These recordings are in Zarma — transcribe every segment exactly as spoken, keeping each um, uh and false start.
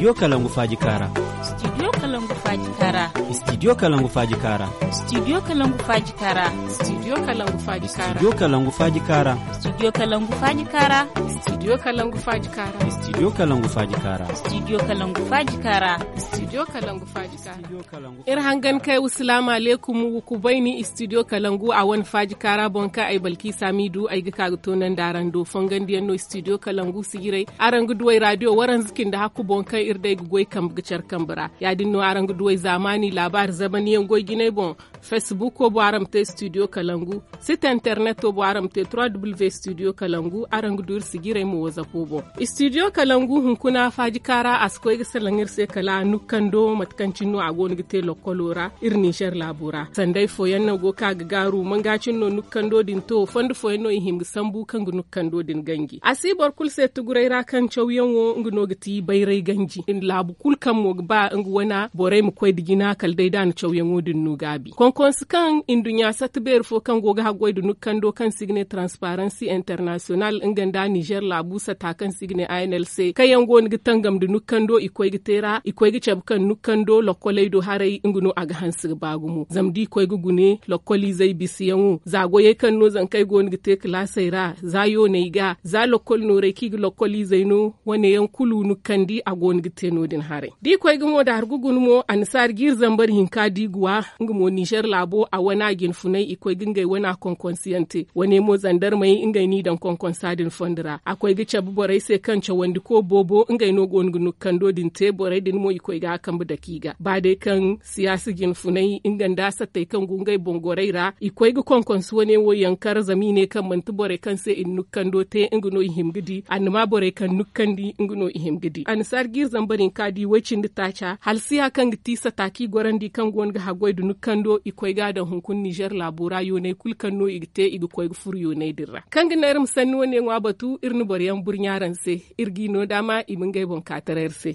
Studio kalangu faaji kaara. Studio kalangu faaji kaara. Studio kalangu faaji kaara. Studio kalangu faaji kaara. Studio kalangu faaji kaara. Studio kalangu faaji kaara. Studio kalangu faaji kaara. Studio kalangu faaji kaara. Studio kalangu faaji kaara. Studio kalangu faaji kaara. Studio kalangu faaji kaara. Iri hangan kay wa salaamu alaykum, wa kubayni studio kalangu a wane faaji kaara boŋ kaŋ ay balki saamiidu ay ga ka ga toonandi araŋ do fongandiyaŋ no studio kalangu sijiray. Araŋ ga duw'ey raadiyo waranza cindi hakku boŋ kaŋ iri day ga goy kambe ga care kambe ra. Ya- din no araŋ ga duw'ey zaamaani laabaari zamaniyaŋ goy jinay boŋ. Fesbuko boŋ araŋ ma te studio kalangu. Site interneto boŋ araŋ ma te trois w studio kalangu araŋ ga du iri sijiray mo wazapo boŋ. Studio kalangu hunkuna faaji kaara a si koy ga salaŋ iri se kala nukkando mate kaŋ cine no a go no ga te lokkolo ra iri ninzeer laabo ra sanday fooyaŋ no go ga ka ga gaaru manga cine no nukkando din to fondo fooyaŋ no i hima ga sambu kaŋ ga nukkando din ganji a si boro kulu se tuguray ra kaŋ cawyaŋo nga no ga ti bayray ganji laabu kulu kaŋ mo ga ba nga wana borey ma koy nda jina kala day da a na cawyaŋo din no gaabi konkonsi kaŋ nduɲɲa satta beeri fo kaŋ go ga haggoy nda nukkando kaŋ se i ga ne transparency international nga nda nizeer laabu sata kaŋ se i ga ne a n l c kaŋ yaŋ go no ga tangam nda nukkando i koy ga te ra i koy ga cabe kaŋ nukkando lokkoley do haray nga no a ga hanse ga ba gumo zama da i koy ga gune lokkoliizey bisayaŋo za goyey kaŋ no zankey go no ga te kalaasey ra za yooney ga za lokkol noorey kaŋ i ga lokkoliizey no wane yaŋ kulu nukkandi a go no ga te no- din haray da i koy ga mo da hargu guna mo annasaari jiiri zambar hinka da i ga wa nga mo nizeer laabo a wana jinfunay i koy ga ngey wana konkonsiyaŋ te wane mo zandarmey ngey no i daŋ konkonsa din fondo ra a koy ga cabe borey se kaŋ cawandiko boobo ngey no go no ga nukkando din te borey din mo i koy ga a kambe dake i ga ba day kaŋ siyaasa jinfunay nga nda sattey kaŋ go ngey boŋ gorey ra i koy ga konkonsi wane wo yankar zama i ne kaŋ manti borey kaŋ se i na nukkando te nga no i hima ga di annama borey kaŋ nukkandi nga no i hima ga di annasaari jiiri zambar hinka da i way- cindi taaca halsiya kaŋ ga ti sata kaŋ i gorandi kaŋ go no ga haggoy nda nukkando i koy ga a daŋ hunkuna nizeer laabo ra yooney kulu kaŋ no i ga te i ga koy ga furo yooney din ra kaŋ ga naŋ iri ma sanni wane ŋwa batu iri na boro yaŋ burɲa araŋ se iri g'i no daama i ma ngey boŋ ka taray iri se.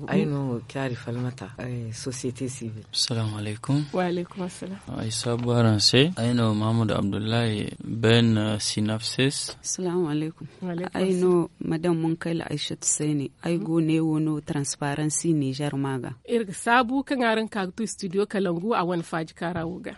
Ay no caari falmata sosiyete sibil. Salaamu alaykum. Ay saabu araŋ se ay no mahamadu abdullahi ben sinafses. Ay no madam munkayla aysatu sayne ay go ne wo no transparency nizer ma ga. Iri ga saabu kaŋ araŋ ka ga tu studio kalangu a wane faaji kaara wo ga.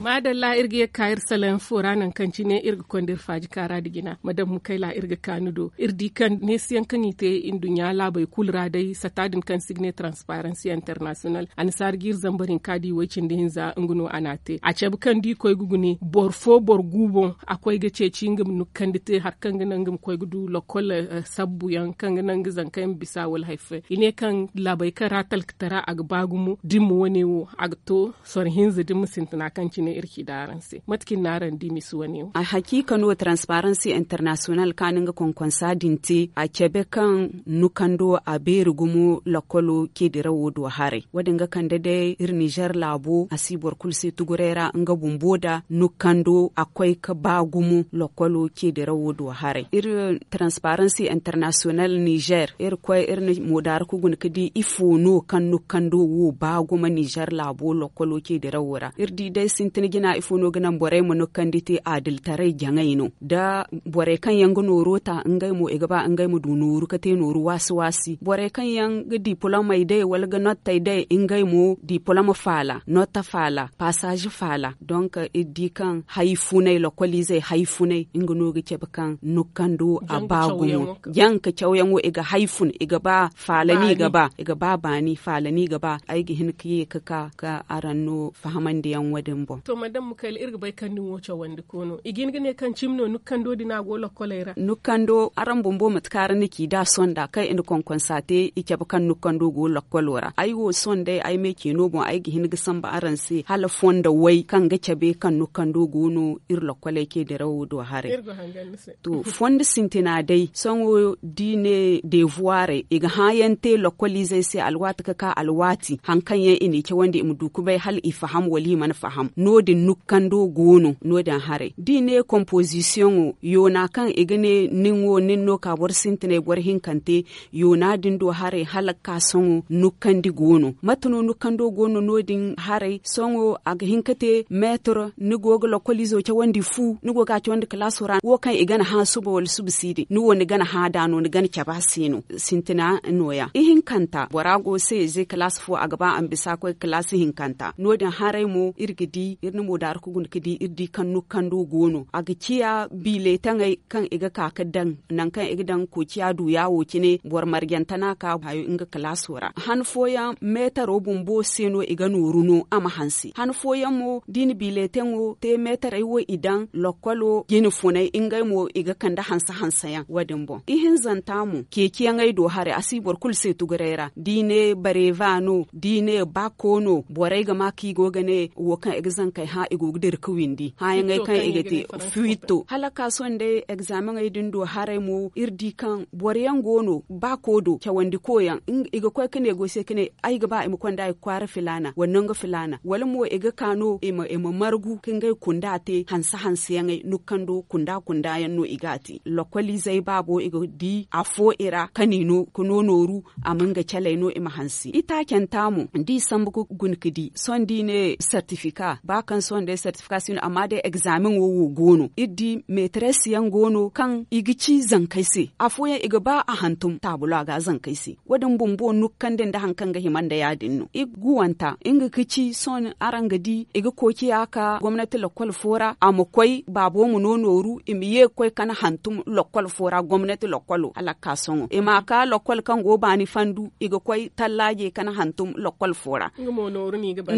Maadalla iri ga ye ga ka iri salaŋ fo ra nangu kaŋ cine iri ga konda iri faaji kaara nda jina madam mukayla iri ga ka ni do iri di kaŋ neesiyaŋ kaŋ i te nduɲɲa laabey kulu ra day sata din kaŋ se i ga ne transparency international annasaara jiiri zambar hinka da i way cindi hinza nga no a n'a te a cabe kaŋ da i koy ga gune boro fo boro gu boŋ a koy ga ceeci nga ma nukkandi te hari kaŋ ga naŋ nga ma koy ga du lokkol sabbuyaŋ kaŋ ga naŋ nga zankey ma bisa wala hari fooyaŋ i ne kaŋ laabey kaŋ ra talkatara a ga ba gumo da i ma wane wo a ga to soro hinza da ni ma sintina kaŋ cine iri ci daaraŋ se mate kaŋ i na araŋ di misi wane wo. Ay hakiika no transparency international kaŋ a na nga konkonsa din te a cabe kaŋ nukando a beeri gumo lakkolo ceedirawo do haray wo- din ga kande day iri nizer laabo a si boro kulu se tuguray ra nga bumbo nda nukando a koy ga ba gumo lakkolo ceedirawo do haray iri transparency international nizer iri koy iri na moodaara ga guna ga di ifo no kaŋ nukando wo ba gumo nizer laabo lakkolo ceedirawo ra iri di day sintin jina ifo no ga naŋ borey ma nukkandi te adiltaray jaŋay no da borey kaŋ yaŋ ga nooro ta ngey mo i ga ba ngey ma du nooru ga te nooru waasi waasi borey kaŋ yaŋ ga dipolomey day wala ga nottey day ngey mo dipoloma faala notta faala pasaazi faala donk iri di kaŋ hari funay lakkoliizey hari funay nga no ga cabe kaŋ nukkando a ba gumo jaŋ ka cawyaŋo i ga hari fun i ga ba faala no i ga ba i ga ba baani faala no i ga ba ay ga hin ga ye ga ka ga araŋ no fahamandiyaŋ wo- din boŋ. To madam mukayla iri ga bay kaŋ ni wo cawandi koono i ga hin ga ne kaŋ cimi no nukkando din a go lokkoley ra. Nukkando araŋ bumbo mate kaŋ araŋ na ci da sonda kaŋ i na konkonsa te i cabe kaŋ nukkando go lokkolo ra ay wo sohõ day ay me ceeno boŋ ay ga hin ga sambu araŋ se hala fondo way kaŋ ga cabe kaŋ nukkando go no iri lokkoley ceedirawo do haray. To fondo sintina day sohõ da i ne deevuwarey i ga hãayaŋ te lokkoliizey se alwaati ga ka alwaati hari kaŋ yaŋ i n'i cawandi i ma du ga bay hala i faham wala i mana faham. Wo- din nukkando go no no- din haray da i ne komposisiyoŋo yoona kaŋ i ga ne nin wo nin no ka boro sintinay boro hinkante. Yoona din do haray hala ga ka sohõ nukkandi go no. Mate no nukkando go no no- din haray sohõ a ga hin ka te meetar ni go ga lokoliizo cawandi fu ni go ga a cawandi kalaaso ra wo kaŋ i gana hã suba wala suba si din ni wo ni gana hã da no ni gana cabe a se no. Sintina no- ya ihinkanta bora go se ze kalaasi fo a ga ba a ma bisa ga koy ga kalaasi hinkanta no- din haray mo iri ga di iri na moodaari ga guna ga di iri di kaŋ nukkando go no a ga ciya biiletaŋey kaŋ i ga ka ga daŋ nangu kaŋ i ga daŋ koociya du yaawo cine boro marjante no a ka hayo nga kalaaso ra han fooyaŋ meetaro bumbo se no i ga nooru no a ma hanse han fooyaŋ mo da i na biiletaŋo te meetarey wo i daŋ lokkolo jine funay ngey mo i ga kande hanse hanse yaŋ wo- din boŋ ihinzanta mo ceeciyaŋey do haray a si boro kulu se tuguray ra da i ne bareeva no da i ne baako no borey ga ma kaŋ i go ga ne wo kaŋ i ga zankey hã i go ga dira ga windi hãyaŋey kaŋ i ga te fiwitto hala ga ka sohõ day egzaamaŋey din do haray mo iri di kaŋ boro yaŋ go no baako do cawandi koyaŋ i ga koy ga ne go se ga ne ay ga ba i ma konda i ga kwaara filaana wala nangu filaana wala mo i ga ka no i ma margu ga ngey kunda te hanse hanse yaŋey nukkando kunda kunda yaŋ no i ga a te lokkoliizey baabo i ga di afo i ra kani no ga no nooru a ma nga caley no i ma hanse itaacanta mo da i sambu ga guna ga di sohõ da i ne sertifika ba kaŋ sohõ day sertifika si no amma day egzaameŋo wo go no iri di meeteres yaŋ go no kaŋ i ga ci zankey se afooyaŋ i ga ba a hantum taabulo a ga a zankey se wo- din bumbo nukkandi nda hari kaŋ ga hima nda ya- din no i ga guwanta nga ga ci sohõ araŋ ga di i ga koociya ka gomnati lokkol fo ra a ma koy baabo ma no nooru i ma ye ga koy kana hantum lokkol fo ra gomnati lokkolo hala ga ka sohõ i ma a ka lokkol kaŋ go baani fandu i ga koy tallaaje kana hantum lokkol fo ra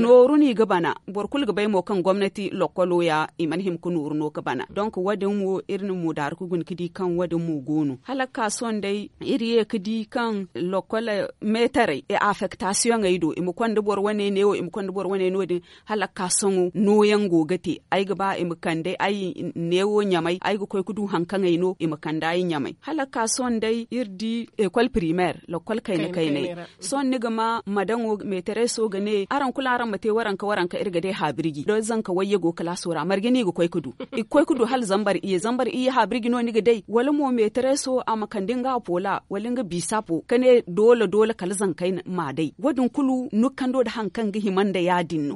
nooru no i ga bana boro kulu ga bay mo kaŋ gomnati lokkolo ya i mana hima ga nooru no ga bana donk wo- din wo iri na moodaari ga guna ga di kaŋ wo- din mo go no hala ga ka sohõ day iri ye ga di kaŋ lokkol meetarey afektasiyoŋey do i ma konda boro wane neewo i ma konda boro wane no- din hala ga ka sohõ nooyaŋ go ga te ay ga ba i ma kande ay neewo ɲamay ay ga koy ga du hari kaŋ ay no i ma kande ay ɲamay hala ga ka sohõ day iri di ekol pirimeer lokkol kayna kaynay sohõ ni ga ma madaŋo meetereso ga ne araŋ kulu araŋ ma te waranka waranka iri ga day haabirji da zanka wayye go kalaaso ra marje no i ga koy ga du i ga koy ga du hala zambar iyye zambar iyye haabirji no ni ga day wala mo meetereso a ma kande nga poola wala nga biisapo ga ne doole doole kala zankey ma a day wo- din kulu nukkando nda hari kaŋ ga hima nda ya- din no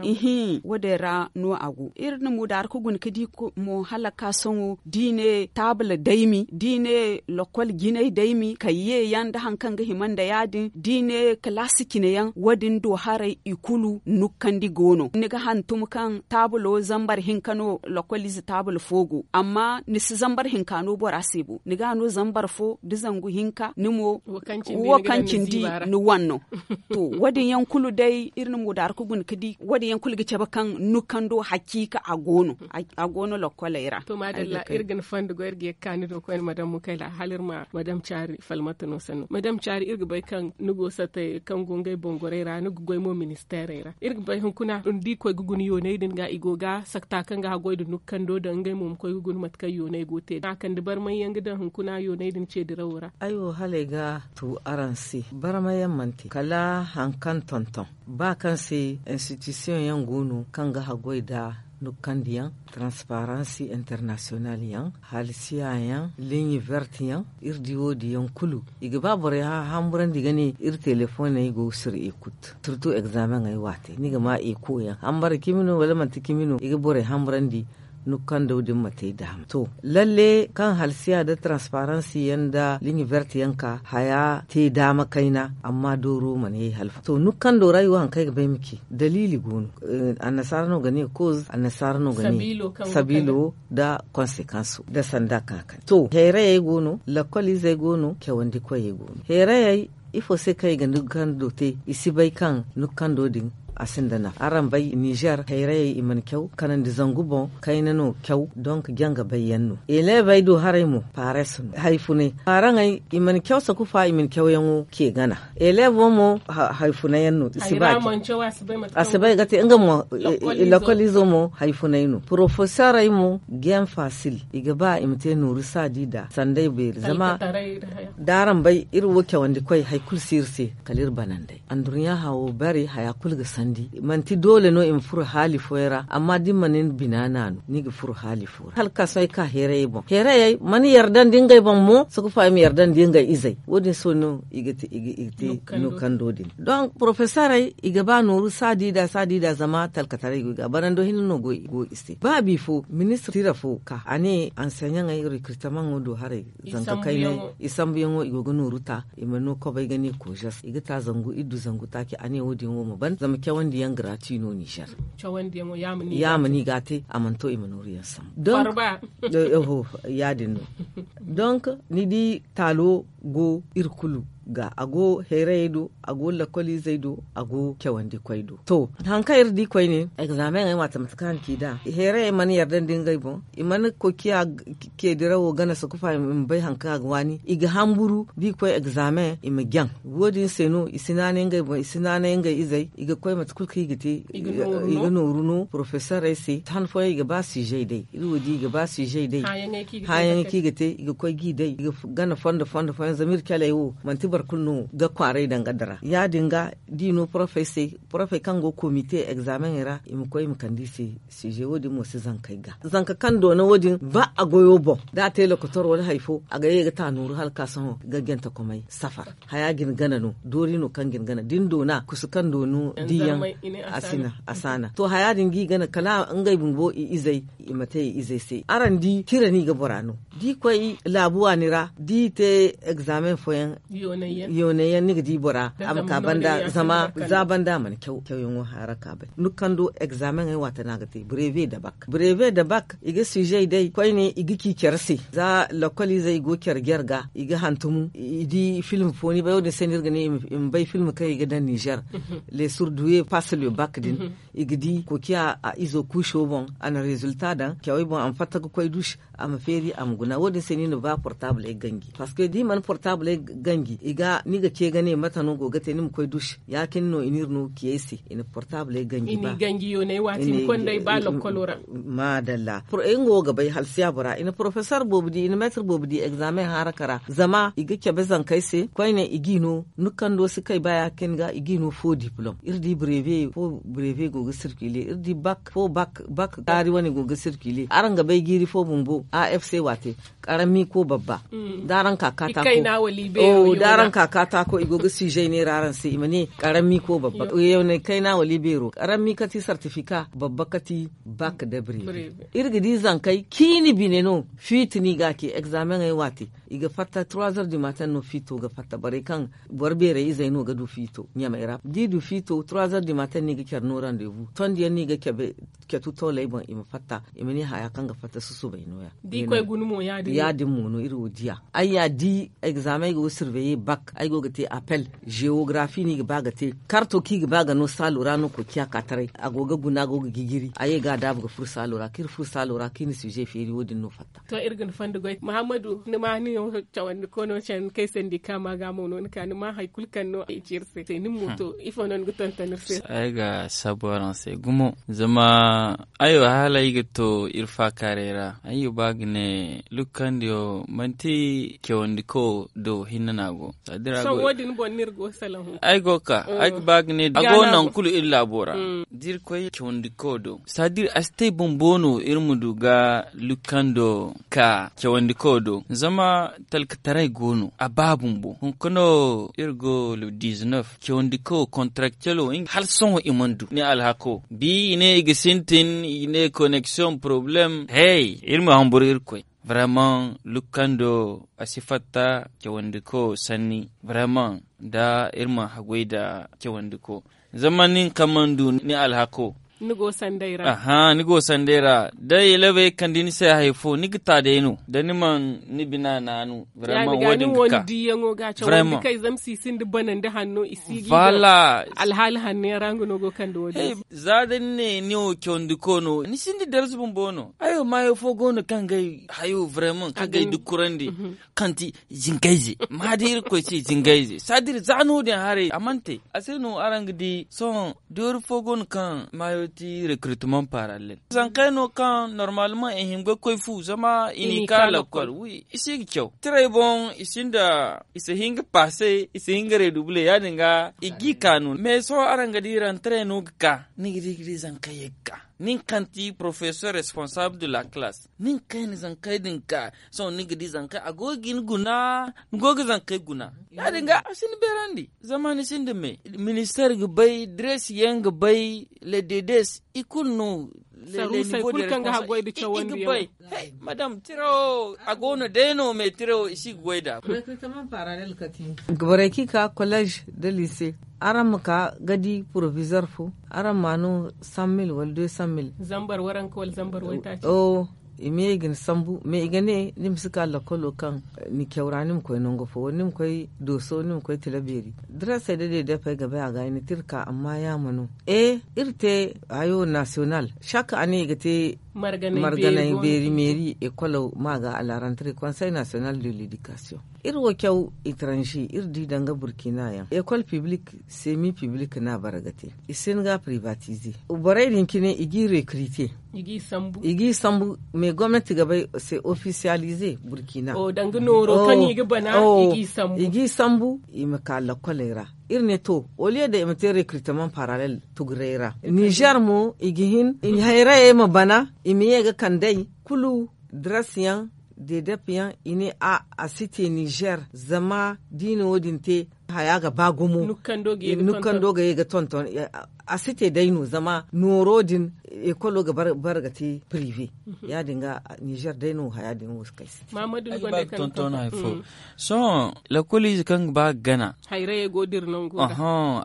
ihi wo- din ra no a go iri na mudaari ga guna ga di mo hala ga ka sohõ da i ne taabula daymi da i ne lokkol jinay daymi kayye yaŋ nda hari kaŋ ga hima nda ya- din da i ne kalaasi cine yaŋ wo- din do haray i kulu nukkandi go no ni ga hantum kaŋ taabulo zambar hinka no lokkol ize taabul fo go amma ni si zambar hinka no bora se bo ni ga a no zambar fo da zangu hinka ni mo wo kaŋ cindi ni wan no to wo- din yaŋ kulu day iri na mudaari ga guna ga di wo- din yaŋ kulu ga cabe kaŋ nukkando haciika a go no a go no lokkoley ra to maadalla iri ga ni fondo go iri ga ye ga ka ni do koyne madam mukayla hala iri ma madam caari falmata no sanno madam caari iri ga bay kaŋ ni go sattey kaŋ go ngey bongorey ra ni ga goy mo ministeerey ra iri ga bay hunkuna da i koy ga guna yooney din ga i go ga sakta kaŋ ga haggoy nda nukkando daŋ ngey mo ma koy ga guna mate kaŋ yooney go te a kande barmay yaŋ ga daŋ hunkuna yooney din ce dirawo ra ay wo hala ay ga tu araŋ se barmay yaŋ mana te kala hari kaŋ tonton ba kaŋ se institution yaŋ go no kaŋ ga haggoy nda nukkandi yaŋ transparansi international yaŋ halsiya yaŋ ligne verte yaŋ iri di wo- din yaŋ kulu i ga ba borey hamburandi ga ne iri telefoney go ga sir ekut surtout examen ay waate ni ga ma eko yaŋ hambara cimi no wala manti cimi no i ga borey hamburandi nukkando din ma te daama to lalle kaŋ halsiya nda transparansi yaŋ nda ligne verte yaŋ ka haya te daama kayna amma dooro mana ye halfa to nukkando ra i wo hari kaŋ ay ga bay ma ci daliili go no annasaara no ga ne cause annasaara no ga ne sabiilo nda konsekanso nda sanda kaŋ a kande to heerayey go no lakkol izey go no cawandi koyey go no heerayey ifo se kaŋ i ga nukkando te i si bay kaŋ nukkando din a sinda nafa araŋ bay nizer hayrayey i mana caw kanandi zangu boŋ kayna no caw donk janga bay yaŋ no eleebey do haray mo pares no hari funay paaraŋey i mana caw sakufa i mana cawyaŋo ce gana eleebo mo hari funay yaŋ no i si ba ce a si bay ga te nga mo lakkol izo mo hari funay no porofeserey mo gen fasil i ga ba i ma te nooru saadi nda sanday beeri zama da araŋ bay iri wo cawandi koy hari kulu si iri se kala iri bananday andurɲa hawo bare haya kulu ga sanni Manti doole no i ma furo haali fooyaŋ ra, amma da ni mana ni bina naanu ni ga furo haali fo ra hala ka sohõ ay ka heerayey boŋ heerayey mana yarda nda ngey boŋ mo. Sukufa i ma yarda nda ngey izey wo- din se no i ga te nukando din. Donk porofesorey i ga ba nooru saadi nda saadi nda zama talkataray go i ga barando hinne no go i se ba bifo ministir tira fo ka a ne anseɲaŋey rekritamanŋo do haray. Zanka kaynay i sambuyaŋo i go ga nooru ta i ma no kobay ga ne koozes i ga ta zangu iddu zangu taaci a ne wo- din wo ma ban zama cawandi yaŋ grati no nizer. Ya ma ni ga a te a mana to i ma nooru yaŋ sambu donk ya- din no. Donk ni di taalo go iri kulu ga a go heerayey do a go lakkoliizey do a go cawandikoy do. To, hari kaŋ iri di koyne egzaameŋey ma a tamata kaŋ a na ci nd'a heerayey mana yarda nda ngey boŋ i mana koy ciya. Ceedirawo gana sakufa i ma bay hari kaŋ a ga waani i ga hamburu da i koy egzaameŋ i ma jaŋ. Wo- din se no i si naanay ngey boŋ i si naanay ngey izey i ga koy mate kulu kaŋ i ga te i ga nooru no porofesorey se han fooyaŋ i ga ba siizey day iri wo di i ga ba siizey day. Hããyaŋey kaŋ i ga te i ga koy g'i day i ga gana fondo fondo fooyaŋ zama iri caley wo manti boro kulu no ga kwaaray danga dira ya- din ga da i no porofey se porofey kaŋ go komite egzaameŋey ra i ma koy i ma kande i se. Siije wo- din mo si zankey ga zanka kaŋ doona wo- din ba a goyo boŋ da a te lokotor wala hari fo a ga ye ga ta nooru hala ka sohõ ga jante komey safar. Haya ga ni gana no doori no kaŋ ga ni gana da ni doona kusu kaŋ doonu diiyaŋ a si na a si a na to haya din ga i gana kala ngey bumbo i izey i ma te i izey se araŋ di tira no i ga bora no da i koy laabu waani ra da i te egzaameŋ fooyaŋ yoonay yaŋ ni ga di bora a ma ka banda zama za banda a mana caw cawyaŋo hara ka bay ni kaŋ do egzaameŋey waati no a ga te breve da bak breve da bak i ga siizey day koyne i ga ci care se za lakkoliizey i go care jare ga i ga hantum i di film fo ni bay wo- din se no iri ga ne i ma bay film kaŋ i ga daŋ nizer. Les surduwe passe le bak din i ga di koociya a izo kuuso boŋ a na rezilta daŋ cawey boŋ a ma fatta ga koy duusi a ma feeri a ma guna wo- din se no i na ba portabley ganji parceque da i mana portabley ganji i ga ni ga ce ga ne mate no go ga te ni ma koy duusi ya- cine no i n'iri no ciyey se i na portabley ganji ba. Maadalla nga wo ga bay halsiya bora i na porofesor boobo di i na meetir boobo di egzaameŋ haraka ra zama i ga cabe zankey se koyne i g'i no ni kando si kay ba ya- cine ga i g'i no fo diplom iri di breve fo breve go ga sirkile iri di bak fo bak bak taari wane go ga sirkile araŋ ga bay jiiri fo bumbo a f c waate. Karammi ko babba da araŋ ka katako da araŋ ka katako i go ga siizey neera araŋ se i ma ne karammi ko babba yawnay kayna wala i beero karammi kati sartifika babba kati bak da breve. Iri ga di zankey ciini bine no fiiti no i ga a ce egzaameŋey waate i ga fatta trois heures du matin no fiito ga fatta borey kaŋ boro beerey izey no ga du fiito ɲamey ra da i du fiito trois heures du matin no i ga care no rendez-vous tondiyaŋ no i ga cabe catu tooley boŋ i ma fatta i ma ne haya kaŋ ga fatta susubay no- ya. Ya- din mo no iri wo diya ay ya di egzaameŋ ay go ga surveye bak ay go ga te apel geografi no i ga ba ga te karto kaŋ i ga ba ga no saalo ra no koociya ka taray a go ga guna a go ga jijiri a ye ga a daabu ga furo saalo ra kaŋ iri furo saalo ra kaŋ iri na size feeri wo- din no fatta. To iri ga ni fondo goy muhammadu ni ma ni no cawandi koono candi kaŋ ay sandi kaama ga mo no ni ka ni ma hari kulu kaŋ no ay ci iri se nin mo to ifo no ni ga tonton iri se? Ay ga saabu araŋ se gumo zama ay wo hala ay ga to iri faakaaray ra ay ga ba ga ne lukkandiyo manti cawandi kawo do hinne no a go. Ay go ga ka ay ga ba ga ne a go nangu kulu iri laabo ra da iri koy cawandi kawo do sadir a si te bumbo no iri ma du ga lukkando ka cawandi kawo do zama talkataray go no a ba bumbo hunkuna iri go le dizinef cawandi kawo kontarakcelo hala sohõ i mana du ni alhako bi i ne i ga sintin i ne koneksiyoŋ poroblem hey iri ma hamburu iri koy. Vraiment lukkando a si fatta cawandi kawo sanni vraiment da iri ma haggoy nda cawandi kawo zama nin kaŋ mana du ni alhako. Ni go sanday ra da i labey kande ni se hari fo ni ga ta day no da ni mana ni bina naanu. Vraiment wo- din ga ka. Vraiment. Kay zama si sinda bana nda hanno i si ga i ga alhaali hanno yaŋ ra nga no go kande wo- din se. Za da ni ne ni wo cawandi kawo no ni sinda darza bumbo no ay wo maayo fo go no kaŋ ga ay hayo vraiment kaŋ ga ay dukkurandi kaŋ ti zingayze ma da irkoy se zingayze sadir za no- din haray a mana te a se no araŋ ga di sohõ doori fo go no kaŋ maayo. Ti recrutement parallel zankey no kaŋ normalement i hin ga koy fu zama i n'i ka lakkol. Wi i si ga caw tirey boŋ i sinda i si hin ga passe i si hin ga redouble ya- din ga i g'i ka no mais sohõ araŋ ga di rentrée no ga ka ni ga di ga di zankey ye ga ka nin kaŋ ti professeur responsable de la classe nin kaŋ i na zankey din ka sohõ ni ga di zankey a go ga hin guna ni go ga zankey guna ya- din ga a si ni beerandi. Zama ni sinda me minister ga bay dress yaŋ ga bay le dedes i kulu no. Saruusey kulu kaŋ ga haggoy da cawandi yaŋ. Madam tiro a go no day no me tiro i si ga goy da. Borey kaŋ i ka collège da lycée araŋ ma ka ga di proviseur fo araŋ ma no cent mille wala deux cent mille. Zambar waranka wala zambar waytaaci. I ma ye i ga ni sambu mais i ga ne ni ma si ka lakkolo kaŋ ni caw ra ni ma koy nangu fo wala ni ma koy dooso ni ma koy tila beeri. Dressey da deedepey ga bay a ga ay ni te iri ka amma yaama no. E iri te hayo national chaque année i ga te marganay beeri meeri école ma ga à la rentrée conseil national de l'éducation. Iri wo caw étranger iri di danga burkina yaŋ école publique semi publique no a bara ga te. I si hin ga privatiser borey din cine i g'i recruter i g'i sambu mais gomnati ga bay c'est officialiser burkina. I g'i sambu i ma ka lakkoley ra. Iri ne to au lieu de i ma te recrutement parallel tugurey ra niger mo i ga hin hayrayey ma bana i ma ye ga kandey kulu dress yaŋ dedep yaŋ i ne a a si te niger zama da i na wo- din te haya ga ba gumo. Nukkando ga ye ga tonton a si te day no zama nooro din ekolo ga bara ga te prive ya- din ga niger day no haya din wo si kay si te. Sohõ lakkoliize kaŋ ga ba ga gana hayrayey go dira nango ra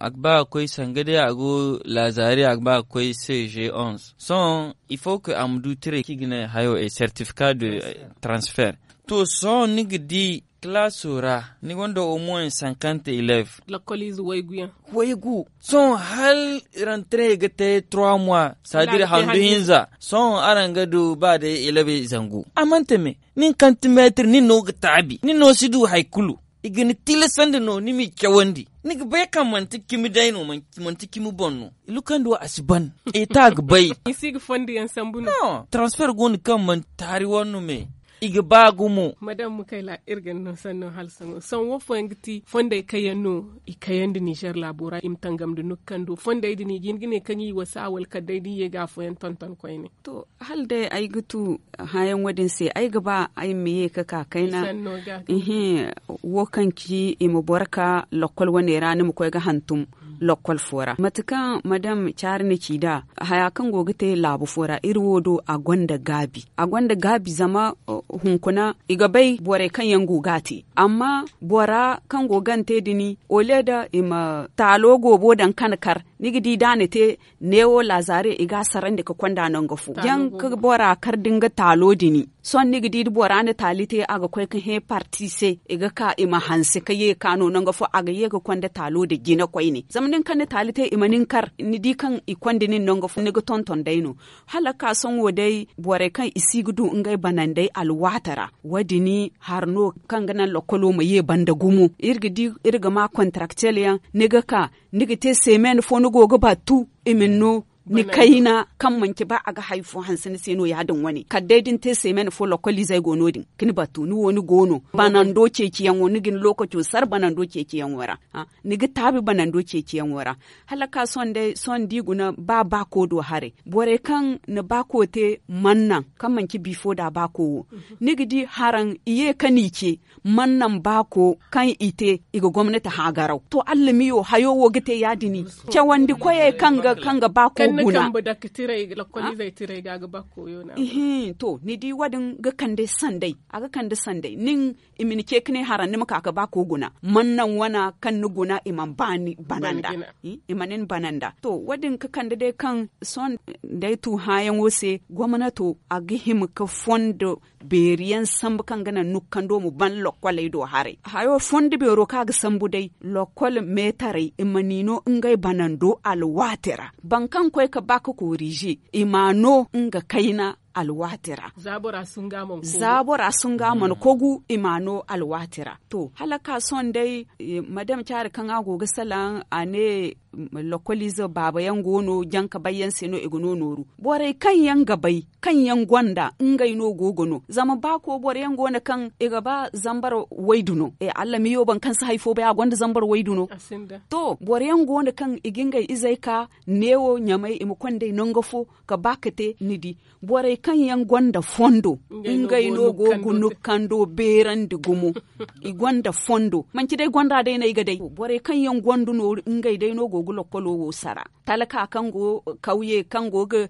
a ga ba ga koy sanga day a go laazari a ga ba ga koy cg onze sohõ il faut que a ma du tiray kaŋ i ga ne hayo e certificat de transfert. To sohõ ni ga di kalaaso ra ni gonda au moins cinquante élèves. Lakkoliize waygu yaŋ waygu sohõ hala rentrée ga te trois mois c'est à dire handu hinza sohõ araŋ ga du ba day élèves zangu a mana te me nin kaŋ ti meetir nin no ga taabi nin no si du hari kulu. I ga ni tilasandi no ni m'i cawandi ni ga bay kaŋ manti cimi day no manti cimi boŋ no. Lukandi wo a si ban eta ga bay. Transfer go no kaŋ manti taari wanno me i ga ba gumo. Madame mukayla iri ga ni no sanno hala sango sango wo fooyaŋ ga ti fondey kaŋ yaŋ no i kayandi nizer laabo ra i ma tangam nda nukkando fondey din i ga hin ga ne kaŋ i wasa wala kala day da i ye ga afooyaŋ tonton koyne. To hala day ay ga tu hããyaŋo din se ay ga ba ay ma ye ga ka kayna. Wo kaŋ ci i ma boro ka lakkol wane ra ni ma koy ga hantum lakkol fo ra mate kaŋ madam caari na ci nd'a. Haya kaŋ go ga te laabu fo ra iri wo do a gonda gaabi a gonda gaabi zama hunkuna i ga bay borey kaŋ yaŋ go ga a te. Amma bora kaŋ go ga ni te din au lieu da i ma taalo goobo daŋ kaŋ kar ni ga di da a na te neewo laazare i ga a sarandi ga konda nangu fo jaŋ ga bora kar da nga taalo din. Sohõ ni ga di da bora na taali te a ga koy ga hẽ parti se i ga ka i ma hanse ga ye ga ka no nangu fo a ga ye ga konda taalo nda jina koyne zama nin kaŋ na taali te i ma nin kar ni di kaŋ i konda nin nangu fo ni ga tonton day no. Hala ga ka sohõ wo day borey kaŋ i si ga du ngey banandey alwaati ra wo- din hari no kaŋ ga naŋ lakkolo ma ye banda gumo iri ga di iri ga ma kontaraktel yaŋ ni ga ka ni ga te semen fo ni go ga battu i ma ni no ni kayna kaŋ manci ba a ga hari fo hanse ni se no ya- din wane kala day da ni te semen fo lakkoliizey go no- din ga ni battu ni wo ni go no banando ceeciyaŋo ni ga ni lookaco sara banando ceeciyaŋo ra. Ni ga taabi banando ceeciyaŋo ra hala ga ka sohõ day sohõ da i guna ba baako do haray borey kaŋ na baako te mana naŋ kaŋ manci bifo nda baako wo ni ga di haraŋ i ye ka n'i ce mana naŋ baako kaŋ i te i ga gomnati haagaraw to allamiyo hayo wo ga te ya- din cawandi koyey kaŋ ga kaŋ ga baako guna. Ihin to ni di wo- din ga kande sanday a ga kande sanday nin i ma ni ce ga ne haraŋ ni ma ka ga baako guna mana naŋ wana kaŋ ni guna i mana ba ni bananda. I mana ni bananda to wo- din ga kande day kaŋ sohõ da ay tu hããyaŋo se gomnato a ga hima ga fondo beeri yaŋ sambu kaŋ ga naŋ nukkando ma ban lokkoley do haray hayo fondo beero kaŋ a ga sambu day lokkol meetarey i ma n'i no ngey banando alwaati ra boro kaŋ ga koy ga ba ga koorize i m'a no nga kayna alwaati ra. Za bora sunga mana kogu i m'a no alwaati ra to hala ga ka sohõ day madam caari kaŋ a go ga salaŋ a ne Lokkoliize baaba yaŋ go no janka bay yaŋ se no i ga no nooru. Borey kaŋ yaŋ ga bay kaŋ yaŋ gonda ngey no go ga no zama ba ko boro yaŋ go no kaŋ i ga ba zambar waydu no. Allamiyo boro kaŋ si hari fo bay a gonda zambar waydu no. To boro yaŋ go no kaŋ i ga ngey izey ka neewo ɲamay i ma konda i nangu fo ka ba ka te ni di. Borey kaŋ yaŋ gonda fondo ngey no go ga nukkando beerandi gumo. I gonda fondo manci day gonda day no ay ga day borey kaŋ yaŋ gonda nooru ngey day no go ga lokkolo wo sara. Talka kaŋ go kawye kaŋ go ga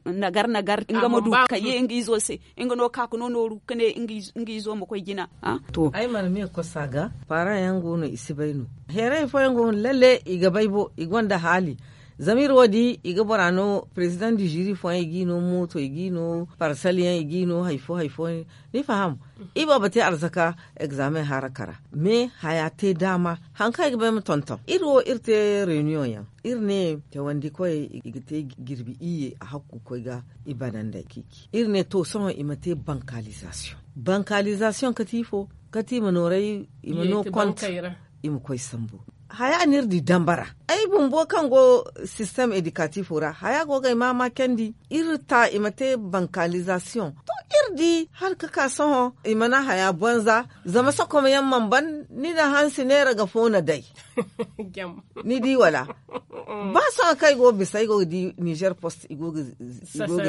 nagar nagar nga ma du ka ye nga izo se. Nga no ka ga no nooru ka ne nga izo ma koy jina. To ay mana me kosa ga. Paara yaŋ go no i si bay no. Heeray fooyaŋ go no lalle i ga bay bo i gonda haali. Zama iri wo di i ga bora no president du jury fooyaŋ i g'i no mooto i g'i no parsal yaŋ i g'i no hari fo hari fo. Ni faham? I boobo te arzaka egzaamen hara kara. Me haya te daama hari kaŋ ay ga bay ma tonton iri wo iri te reniyoŋ yaŋ. Iri ne cawandi koyey i ga te jirbi iyye a hakku koy ga i bananday. Iri ne to sohõ i ma te bankalizasiyoŋ. Bankalizasiyoŋ kati ifo? Kati i ma nooray i ma no kont i ma koy sambu. Haya no iri di dambara ay bumbo kaŋ go sistem edikatifo ra haya go ga ay maama candi. Iri ta i ma te bankalizasiyoŋ to iri di hala ka ka sohõ i mana haya banza. Zama sokoma yaŋ mana ban ni na hansi neera ga fo na day. Ni di wala? Ba sohõ kaŋ ay go ga bisa ay go ga di nizer post i go ga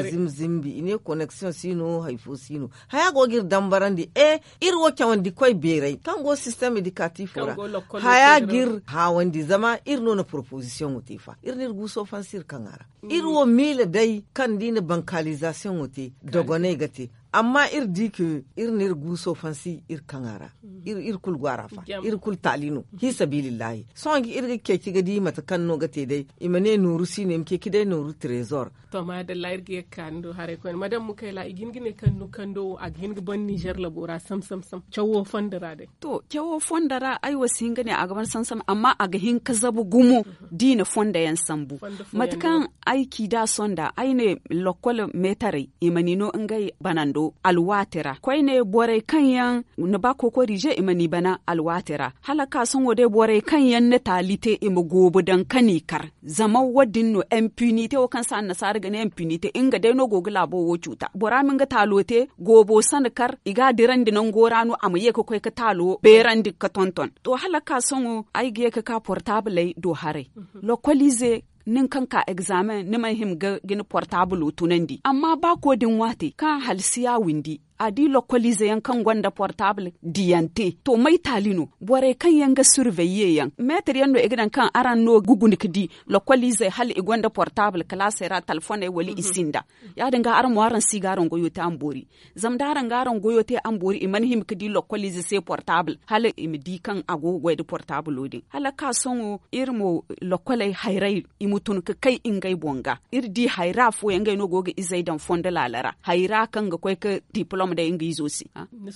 zimzimbi i ne koneksiyoŋ si no hari fo si no. Haya go ga iri dambarandi e iri wo cawandi koy beeray kaŋ go sistem edikatifo ra. Haya ga iri haawandi zama iri no na poropozisiyoŋo te fa iri no iri guuso fansi iri kaŋ a ra. Iri wo miila day kaŋ da i na bankalizasiyoŋo te dogoney ga te. Amma iri di ka iri na iri guuso fansi iri kaŋ a ra. Iri kulu go a ra fa iri kulu taali no. Fi sabilillahi sohõ ga iri ga ceeci ga di mate kaŋ no ga te day i ma ne nooru si no i ma ceeci day nooru trezor. To maadalla iri ga ye ga ka ni do haray koyne madam mukayla i ga hin ga ne kaŋ ni kando wo a ga hin ga ban nizer labo ra sam sam sam cawo fondo ra day. To cawo fondo ra ay wo si hin ga ne a ga ban sam sam amma a ga hin ga zabu gumo. Da i na fondo yaŋ sambu mate kaŋ ay ci da sonda ay ne lokkol meetarey i ma ni no ngey banando alwaati ra koyne borey kaŋ yaŋ ni ba kookorize i ma ni bana alwaati ra. Hala ka sohõ day borey kaŋ yaŋ na taali te i ma goobo daŋ ka ni kar. Zama wo- din no impinite wo kaŋ se annasaara ga ne impinite nga day no go ga laabo wo cuuta bora ma nga taalo te goobo sanda kar i ga a dirandi nango ra no a ma ye ga koy ga taalo beerandi ga tonton. To hala ka sohõ ay ga ye ga ka portaabuley do haray. Lokkoliize nin kaŋ ka egzaamen ni mana hima ga ni portaabulo tunandi amma ba ko din waati kaŋ halsiya windi a di lokkoliize yaŋ kaŋ gonda portaabul diyante. To may taali no borey kaŋ yaŋ ga surveye yaŋ meetar yaŋ no i ga daŋ kaŋ araŋ no ga guna ga di lokkoliizey hala i gonda portaabul kalaasey ra talfoney wala i sinda. Ya- din ga araŋ mo araŋ si ga araŋ goyo te a ma boori. Zama da araŋ ga araŋ goyo te a ma boori i mana hima ga di lokkoliize se portaabul hala i ma di kaŋ a go ga goy nda portaabulo din hala ka sohõ iri mo lokkoley hayray i ma tun ga kay ngey boŋ ga. Iri di hayra fooyaŋ ngey no go ga izey daŋ fondo laala ra hayra kaŋ ga koy ga dipolom day nga izo se. Ni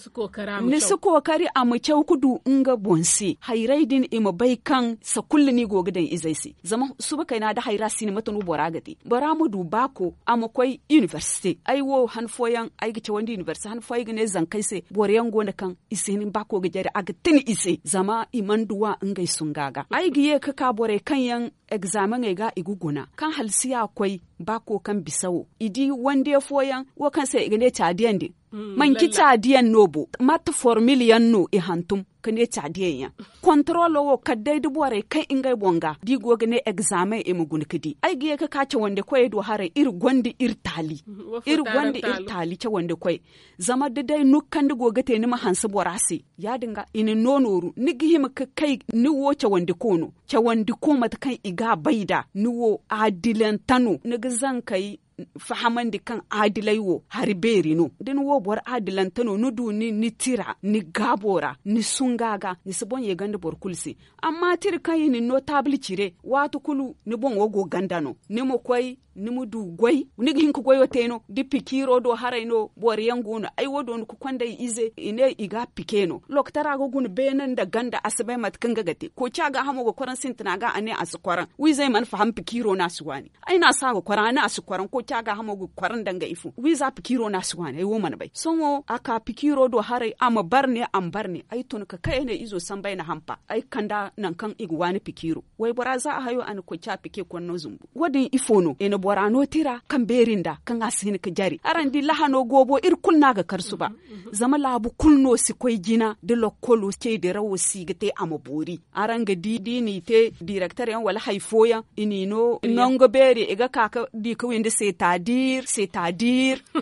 si kookari a ma caw ga du nga boŋ se hayray din i ma bay kaŋ sakulla no i go ga daŋ izey se. Zama suba kayna da hayra si no mate no bora ga te bora ma du baako a ma koy inibersite ay wo han fooyaŋ ay ga cawandi inibersite han fooyaŋ ay ga ne zankey se boro yaŋ go no kaŋ i si hin baako ga jare a ga tun i se zama i mana duw'a ngey sunga ga ay ga ye ga ka borey kaŋ yaŋ egzaameŋey ga i ga guna kaŋ halsiya koy baako kaŋ bisa wo i di wande fooyaŋ wo kaŋ se i ga ne caadiyaŋ din. Manci caadiyaŋ no bo mate formil yaŋ no i hantum ga ne caadiyaŋ yaŋ. Kontorolo wo kala day da borey kaŋ ngey boŋ ga da i go ga ne egzaameŋ i ma guna ga di ay ga ye ga ka cawandi koyey do haray iri gonda iri taali. Iri gonda iri taali cawandi koyey. Zama da day nukkandi go ga te ni ma hanse bora se ya- din ga i na no nooru ni ga hima ga kay ni wo cawandiko no cawandiko mate kaŋ i ga a bay nd'a ni wo aadilante no ni ga zankey fahamandi kaŋ aadiley wo hari beeri no da ni wo boro aadilante no ni du ni tira ni gaabo ra ni sunga ga ni si boŋ ye ganda boro kulu se. Amma tira kaŋ i na ni no taabul cire waati kulu ni boŋo go ganda no ni ma koy ni ma du goy ni ga hin ga goyo te no da pikiiro do haray no boro yaŋ go no ay wo doona ga konda ay ize i ne i ga a pike no lokotara ga guna beene nda ganda a si bay mate kaŋ ga ga te koociya gaahamo ga koraŋ sintina ga a ne a si koraŋ wiizey mana faham pikiiro no a si waani. Ay no a si a ga koraŋ a ne a si koraŋ. ca gaahamo ga kor nda nga ifo wiiza pikiiro no a si waani ay wo mana bay sohõ a ka pikiiro do haray a ma bar ne a ma bar ne ay tun ka kay ay ne izo sambu ay na hampa ay kanda nangu kaŋ i ga waani pikiiro. Waybora za a hayo a na koy ci a pike konno zumbu wo- din ifo no i na bora no tira kaŋ beeri nda kaŋ a si hin ga jare araŋ di lahano goobo iri kulu no a ga kar suba. Zama laabu kulu no si koy jina da lokkolo cey dirawo si ga te a ma boori. Araŋ ga di da i n'i te direkter yaŋ wala hari fooyaŋ i n'i no nangu beeri i ga ka ga di ga windi seetaadir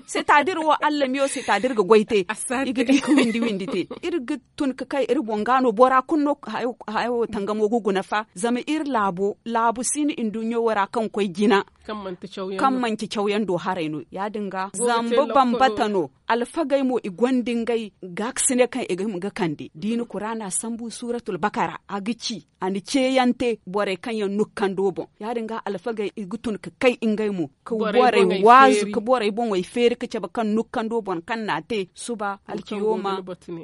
seetaadir wo allamiyo seetaadir ga goy te. I ga di ga windi windi te iri ga tun ga kay iri boŋ ga no bora kulu no hayo tangamo ga guna fa zama iri laabo laabu si no nduɲɲo wo ra kaŋ koy jina kaŋ manti cawyaŋ do haray no ya- din ga zambu bambata no. Alfagey mo i gonda ngey gaakasine kaŋ i ga hima ga kande da i na kuraana sambu suuratul bakara a ga ci a na ceeyaŋ te borey kaŋ yaŋ nukkando boŋ ya- din ga alfagey i ga tun ga kay ngey mo ga borey waazu ga borey boŋey feeri ga cabe kaŋ nukkando boŋ kaŋ na a te suba alciyooma.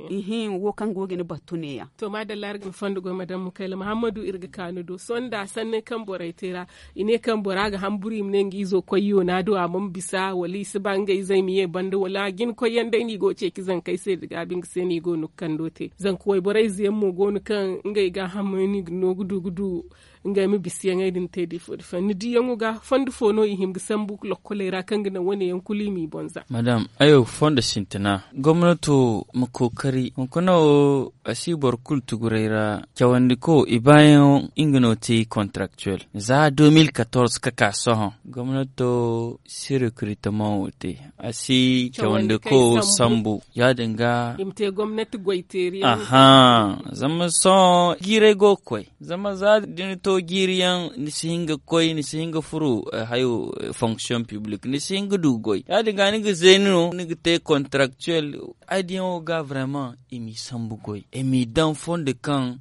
Ihin wo kaŋ go ga ni battu neeyaŋ. To maadalla iri ga ni fondo goy madam mukayla muhammadu iri ga ka ni do sohõ nda sanney kaŋ borey te ra i ne kaŋ bora ga hamburu i ma ne nga izo koy yoona do a mana bisa wala i si ba ngey zey ma ye banda wala jina koyyaŋ day no i go ga ceeci zankey se da gaabi nga se no i go no ga kando te zanka wayborey ize yaŋ mo go no kaŋ ngey gaahamey no i ga no ga du ga du ngey ma bisa yaŋey din te da ifo da ifo ni diyaŋo ga fondo fo no i hima ga sambu lokkoley ra kaŋ ga naŋ wane yaŋ kulu i m'i boŋ za. Madam ay wo ga fondo sintina gomnato ma kookari hunkuna wo a si boro kulu tuguray ra cawandi ko i baayaŋo nga no te kontraktuwel za deux mille quatorze ka ka sohõ gomnato si rekritaman wo te a si cawandi ko sambu ya- din ga i ma te gomnati goyteeri yaŋ. Aha zama sohõ jiiray go ga koy zama za da ni to jiiri yaŋ ni si hin ga koy ni si hin ga furu hayo fonction public ni si hin ga du ga goy ya- din ga ni ga zeeni no ni ga te kontraktuwel. Ay diyaŋo ga vraiment i m'i sambu goy i m'i daŋ fondo kaŋ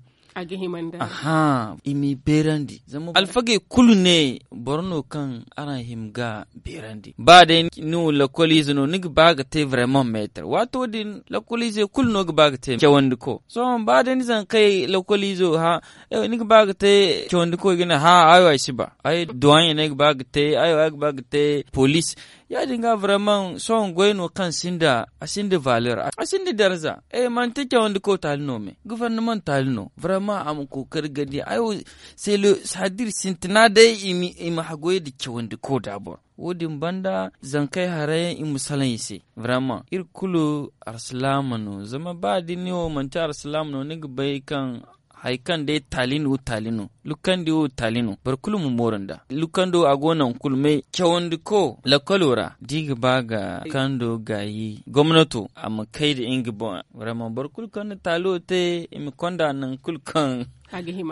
aha i m'i beerandi zama alfagey kulu ne boro no kaŋ araŋ hima ga beerandi ba day ni wo lakkoliize no ni ga ba ga te vraiment meetar waato din lakkoliizey kulu no ga ba ga te cawandi ko sohõ ba day ni zankey lakkoliizo ha ni ga ba ga te cawandi ko i ga ne ha ay wo ay si ba ay duwaɲey no ay ga ba ga te ay wo ay ga ba ga te poliis ya- din ga vraiment sohõ goy no kaŋ sinda a sinda valeur a sinda darza. Manti cawandi ko taali no me gufarnamant taali no vraiment a ma kookari gandi ay wo se le sadir sintina day i ma hagoy nda cawandi ko da boro wo- din banda zankey haray yaŋ i ma salaŋ i se vraiment iri kulu arsilaama no zama ba da ni wo manti arsilaama no ni ga bay kaŋ hari kaŋ day taali no taali no lukkandi wo taali no boro kulu ma mooru nda lukkando a go naŋ kulu me cawandi ko lakkolo ra da i ga ba ga kando gaayi gomnato a ma kay nda nga boŋ vraiment boro kulu kaŋ na taalo te i ma konda naŋ kulu kaŋ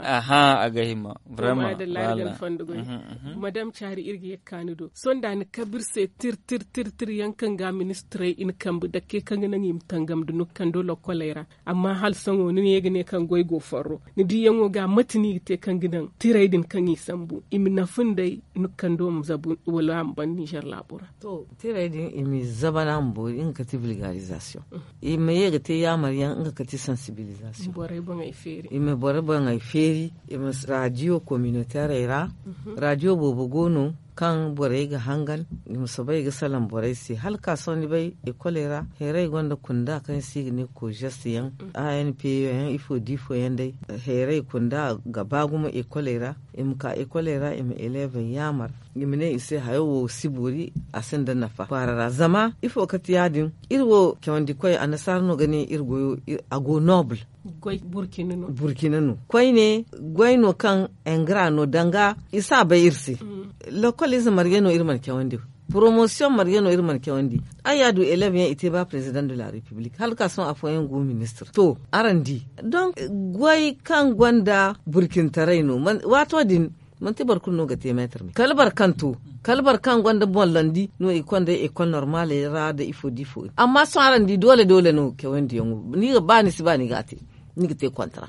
aha a ga hima vraiment. Madam caari iri ga ye ga kaanu do sohõ nda ni kabe iri se tir tir tir tir yaŋ kaŋ ga ministirey i na kambe dake kaŋ ga naŋ i ma tangam nda nukkando lokkoley ra amma hala sohõ ni ne ga ne kaŋ goy go farro ni diyaŋo ga mate no i ga te kaŋ ga naŋ tirey din kaŋ i sambu i ma nafa nd'ey nukkando ma zabu wala a ma ban nizer laabo ra. To tirey din i m'i zabana ma boori nga kate vulgarizasiyoŋ i ma ye ga te yaamar yaŋ nga kate sansibilizasiyoŋ i ma borey boŋey feeri i ma raadiyo kominoterey ra raadiyo boobo go no kaŋ borey ga hangan i ma soobay ga salaŋ borey se hala ka sohõ ni bay ekoley ra heeray gonda kunda kaŋ se i ga ne kožest yaŋ anp yaŋ ifo da ifo yaŋ day heeray kunda ga ba gumo ekoley ra i ma ka ekoley ra i ma elevey yaamar i ma ne i se hayo wo si boori a sinda nafa kwaara ra zama ifo kate ya- din iri wo cawandi koy annasaara no ga ne iri goyo a go noble burkina no koyne goy no kaŋ engra no danga i si a bay iri se lokol ize marge no iri mana cawandi poromosiyoŋ marge no iri mana cawandi ay ya du elev yaŋ i te ba president de la republique hala ka sohõ afooyaŋ go ministir to araŋ di donk goy kaŋ gonda burkintaray no waato din manti boro kulu no ga te meetir me kala boro kaŋ to kala boro kaŋ gonda boŋ landi no i konda ekol normaley ra nda ifo nda ifo amma sohõ araŋ di doole doole no cawandiyaŋo ni ga ba ni si ba ni ga a te ni ga te kontra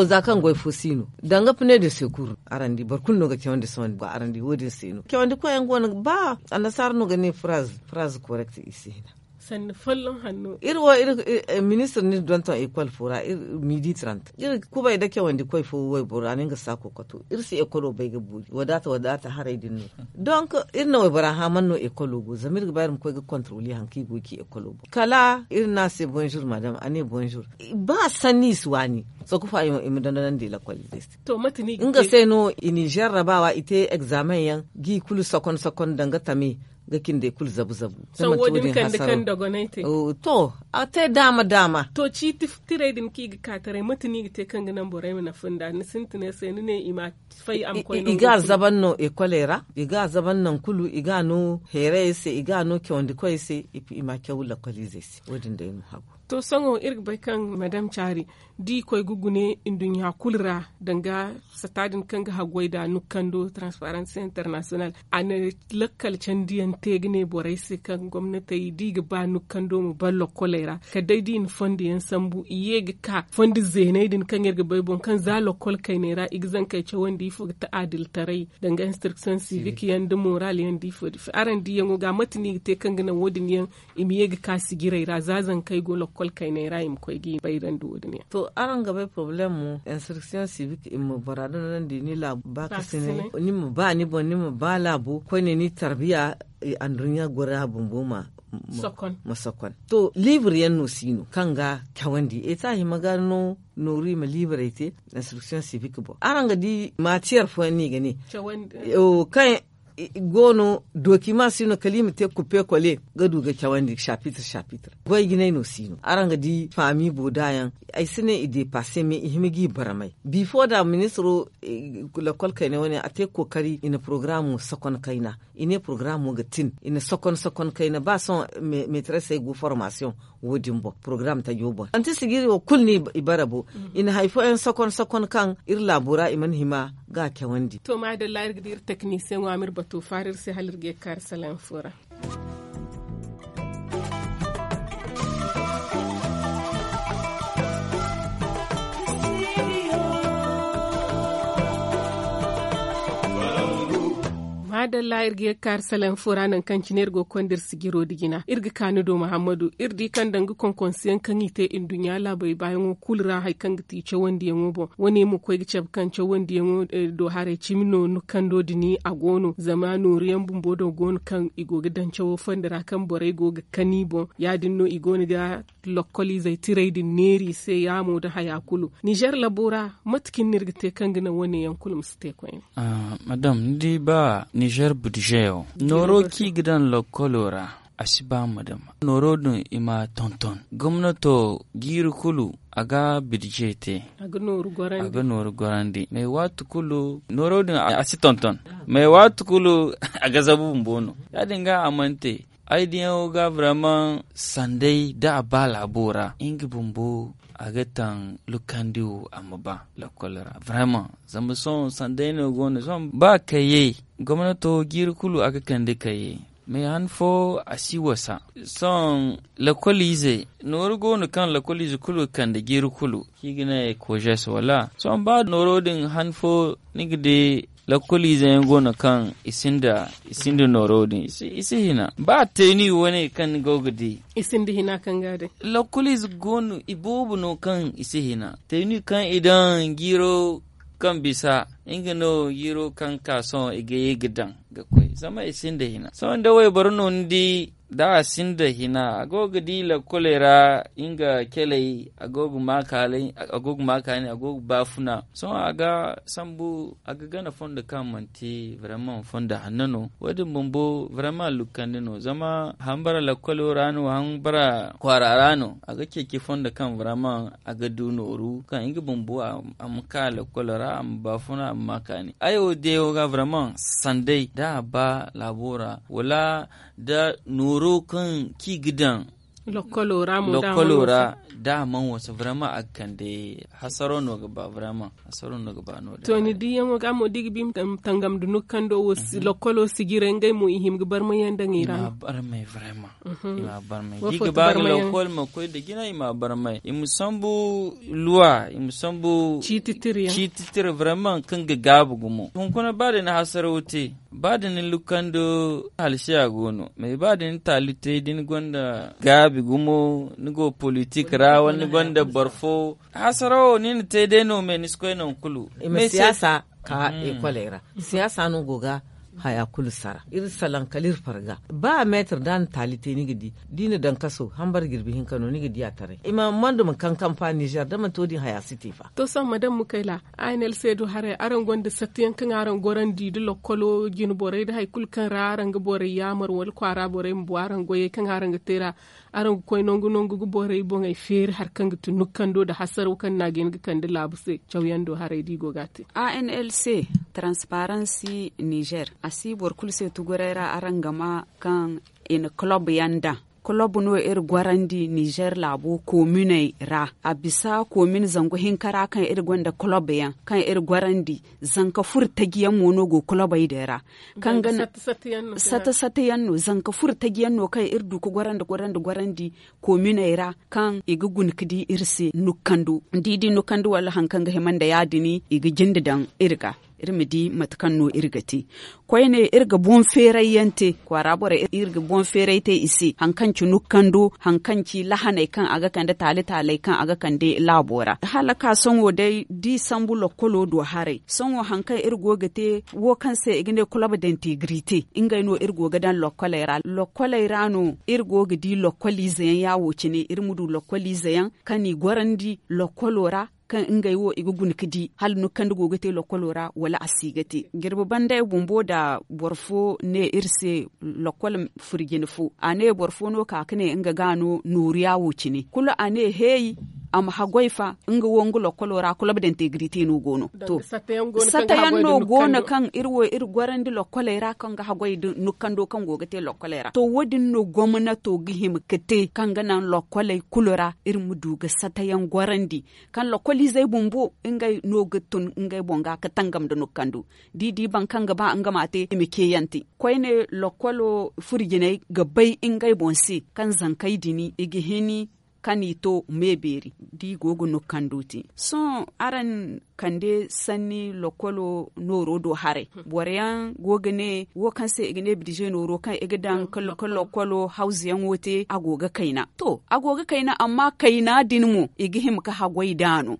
za kaŋ goy fo si no danga pine de sekur araŋ di boro kulu no ga cawandi sohõ araŋ di wo- din se no cawandi koyyaŋ go no ba annasaara no ga ne fraaz fraaz korekt i se hina Iri wo iri ministir no iri donton ekol fo ra iri midi trant iri kubay nda cawandi koy fo wayboro ra no nga saako kato iri si ekolo bay ga boori wadaata wadaata haray din no. Donk iri na waybora hã man no ekolo go zama iri ga ba iri ma koy ga kontroli hari kaŋ i go ga ci ekolo boŋ kala iri ne a se bonzur madam a ne bonzur. Ba sanni i si waani. Sokufo i ma dondonandi lakwal izey se. Nga se no i n'i zerrabawa i te egzamen yaŋ ga i kulu sokon sokon danga tame ga cindey kulu zabu zabu. To a te daama daama. To ciiti tirey din kaŋ i ga ka taray mate no i ga te kaŋ ga naŋ borey ma nafa nda ni sintinay se ni ne i ma fay a ma koy nangu kulu. I ga a zaban no ekoley ra i ga a zaban naŋ kulu i ga a no heerayey se i ga a no cawandi koyey se. I ma a caw lakwal izey se wo- din day no hagu. To sohõ iri ga bay kaŋ madam caari da i koy ga gune nduɲɲa kulu ra danga sata din kaŋ ga haggoy nd'a nukkando transparency international a na lakkal candiyaŋ te ga ne borey se kaŋ gomnatey da i ga ba nukkando ma ban lokkoley ra kala day da i na fondo yaŋ sambu i ye ga ka fondo zeeney din kaŋ iri ga bay boŋ kaŋ za lokkol kayney ra i ga zankey cawandi ifo ga ta adiltaray danga instruction civique yaŋ nda moral yaŋ nda ifo nda ifo araŋ diyaŋo ga mate no i ga te kaŋ ga naŋ wo- din yaŋ i ma ye ga ka sijirey ra za zankey go lokkol kayney ra i ma koy ga i bayrandi wo- din yaŋ. To araŋ ga bay poroblem mo instruction civique i ma bora dondonandi ni laabu ba kasinay ni ma ba ni boŋ ni ma ba laabo koyne ni tarbiya anduɲɲa gora bumbo ma sokon. To libre yaŋ no si no kaŋ ga cawandi eta hima ga no nooru i ma librey te instruction civique boŋ araŋ ga di matiyar fooyaŋ no i ga ne kaŋ i go no doki ma si no kala i ma te kuppe kole ga du ga cawandi chapitre chapitre goy jinay no si no araŋ ga di faami booda yaŋ. Ay si ne i depasse mais i hima ga i barmay bifo da ministiro lakkol kayna wane a te kookari i na porogaramo sakon kayna i ne porogaramo ga tin i na sakon sakon kayna ba sohõ meetarasey go formasiyoŋ wo- din boŋ porogaram tajo boŋ manti sijiri wo kulu no i bara bo i na hari fooyaŋ sakon sakon kaŋ iri laabo ra i mana hima ga a cawandi. To maadalla iri ga di iri teknisiyeŋo a ma iri bato faara iri se hala iri ga ye ga kaari salaŋ fo ra. Maadalla iri ga ye ga kaari salaŋ fo ra nangu kaŋ cine iri go ga konda iri sijiro nda jina iri ga ka ni do muhammadu iri di kaŋ danga konkonsiyaŋ kaŋ i te nduɲɲa laabey baayaŋo kulu ra hari kaŋ ga ti cawandiyaŋo boŋ wane ma koy ga cabe kaŋ cawandiyaŋo do haray cimi no ni kando din a go no zama nooru yaŋ bumbo do go no kaŋ i go ga daŋ cawo fondo ra kaŋ borey go ga kani boŋ ya- din no i go no ga lokkoliizey tirey din neeri i se yaamo nda haya kulu nizer labo ra mate cine no iri ga te kaŋ ga naŋ wane yaŋ kulu ma si te koyne? Madam ni di ba nizer budzeyo nooro kaŋ i ga daŋ lokkolo ra a si ba ma dama nooro din i ma a tonton gomnato jiiri kulu a ga bidje te a ga nooru gorandi mais waati kulu nooro din a si tonton mais waati kulu a ga zabu bumbo no ya- din ga a mana te ay diyaŋo ga vraiment sanday da a ba laabo ra nga bumbo a ga taŋ lukandi wo a ma ba lakkol ra vraiment zama sohõ sanday no go no sohõ ba kayey gomnato jiiri kulu a ga kande kayey mais han fo a si wasa sohõ lakkoliize nooru go no kaŋ lakkoliize kulu ga kande jiiri kulu kaŋ i ga ne kojes wala sohõ ba nooro din han fo ni ga di lakkoliize yaŋ go no kaŋ i sinda i sinda nooro din i si hina ba teeni wane kaŋ ni go ga di i sinda hina kaŋ ga day lakkoliize go no i boobo no kaŋ i si hina teeni kaŋ i daŋ jiiro kaŋ bisa nga no jiiro kaŋ ka sohõ i ga ye ga daŋ ga koy zama i sinda hina sohõ da wayboro no ni di da a sinda hina a go ga di lakkoley ra nga caley a go ga ma kaani a go ga baafuna sohõ a ga sambu a ga gana fondo kaŋ manti vraiment fondo hanno no wo- din bumbo vraiment lukkandi no zama hambara lakkolo ra no hambara kwaara ra no a ga ceeci fondo kaŋ vraiment a ga du nooru kaŋ nga bumbo a ma ka lakkolo ra a ma baafuna a ma ma kaani ay wo day wo ga vraiment sanday da a ba laabo ra wala da nooro kaŋ kaŋ i ga daŋ lakkolo ra da a mana wasa vraiment a ga kande hasaro no ga ba vraiment hasaro no ga ba no- din to ni diyaŋo ga mo da i ga bi ma tangam da nukkando wo lakkolo sijirey ngey mo i hima ga barmay yaŋ daŋ i ra no barmay vraiment i ma barmay da i ga ba ga lakkol ma koy nda jina i ma barmay i ma sambu luwa i ma sambu ciiti tira vraiment kaŋ ga gaabu gumo hunkuna ba day ni hasaro te Ba da ni lukkando halsiya go no, mais ba da ni taali te da ni gonda gaabi gumo, ni go politik ra wala ni gonda boro fo, hasarawo ni na te day no, mais ni si koy nangu kulu. Siyaasa ka ekoley ra, siyaasa no go ga haya kulu sara. Iri salaŋ kala iri farga. Ba meetar da a na taali te ni ga di, da i na daŋ kaso hambar jirbi hinka no ni ga di a taray. I ma manda ma kaŋ kaŋ fa nizer da manti wo- din haya si te fa. To sohõ madam mukayla, a n l c do haray araŋ gonda sattiyaŋ kaŋ araŋ gorandi da lokkolo jine borey da hari kulu kaŋ ra araŋ ga borey yaamar wala kwaara borey ma bu araŋ goyey kaŋ araŋ ga te ra, araŋ ga koy nangu nangu ga borey boŋey feeri hari kaŋ ga ti nukkando nda hasaraw kaŋ no a ga hin ga kande laabu se. Cawyaŋ do haray da i go ga a te. A n l c, taransiparansi nizer, a si boro kulu se tuguray ra araŋ ga ma kaŋ i na kolob yaŋ daŋ. Kolob no iri gorandi nizer laabo kominey ra. A bisa komin zangu hinka ra kaŋ iri gonda kolob yaŋ kaŋ iri gorandi. Zanka furo taji yaŋ mo no go kolobey din ra. Kaŋ ga na sata sata yaŋ no zanka furo taji yaŋ no kaŋ iri du ga gorandi gorandi gorandi kominey ra kaŋ i ga guna ga di iri se nukkando. Da i di nukkando wala hari kaŋ ga hima nda ya- din i ga jinde daŋ iri ga, iri ma di mate kaŋ no iri ga te. Koyne iri ga boŋ feeray yaŋ te kwaara borey, iri ga boŋ feeray te i se hari kaŋ ci nukkando, hari kaŋ ci lahaney kaŋ a ga kande taali taaley kaŋ a ga kande laabo ra. Hala ka sohõ day da i sambu lokkolo do haray, sohõ hari kaŋ iri go ga te wo kaŋ se i ga ne kolob dantegrite, ngey no iri go ga daŋ lokkoley ra. Lokkoley ra no iri go ga di lokkoliize yaŋ ya wo- cine iri ma du lokkoliize yaŋ kaŋ i gorandi lokkolo ra, kaŋ ngey wo i ga guna ga di hala nukkandi go ga te lokkolo ra wala a si ga te. Jirbi banda ay bumbo nda boro fo ne iri se, lokkol furjine fo a ne boro fo no ka ga ne nga ga no nooru ya wo- cine kulu a ne heey, a ma haggoy fa nga wo nga lokkolo ra kolob dantegrite no go no. To, sata yaŋ no go no kaŋ iri wo iri gorandi lokkoley ra kaŋ ga haggoy nda nukkando kaŋ go ga te lokkoley ra to wo- din no gomnato ga hima ga te kaŋ ga naŋ lokkoley kulu ra iri ma du ga sata yaŋ gorandi, kaŋ lokkoliizey bumbo ngey no ga tun ngey boŋ ga ga tangam nda nukkando. Da i di boro kaŋ ga ba nga ma a te i ma ceeyaŋ te. Koyne lokkolo furo jinay ga bay ngey boŋ se kaŋ zankey din i ga hin ka ni to me beeri da i go ga nukkando te. Sohõ araŋ kande sanni lokkolo nooro do haray, boro yaŋ go ga ne wo kaŋ se i ga ne bidize nooro kaŋ i ga daŋ ka lokkolo hawza yaŋo te a go ga kayna. To, a go ga kayna amma kayna din mo i ga hima ga haggoy nd'a no.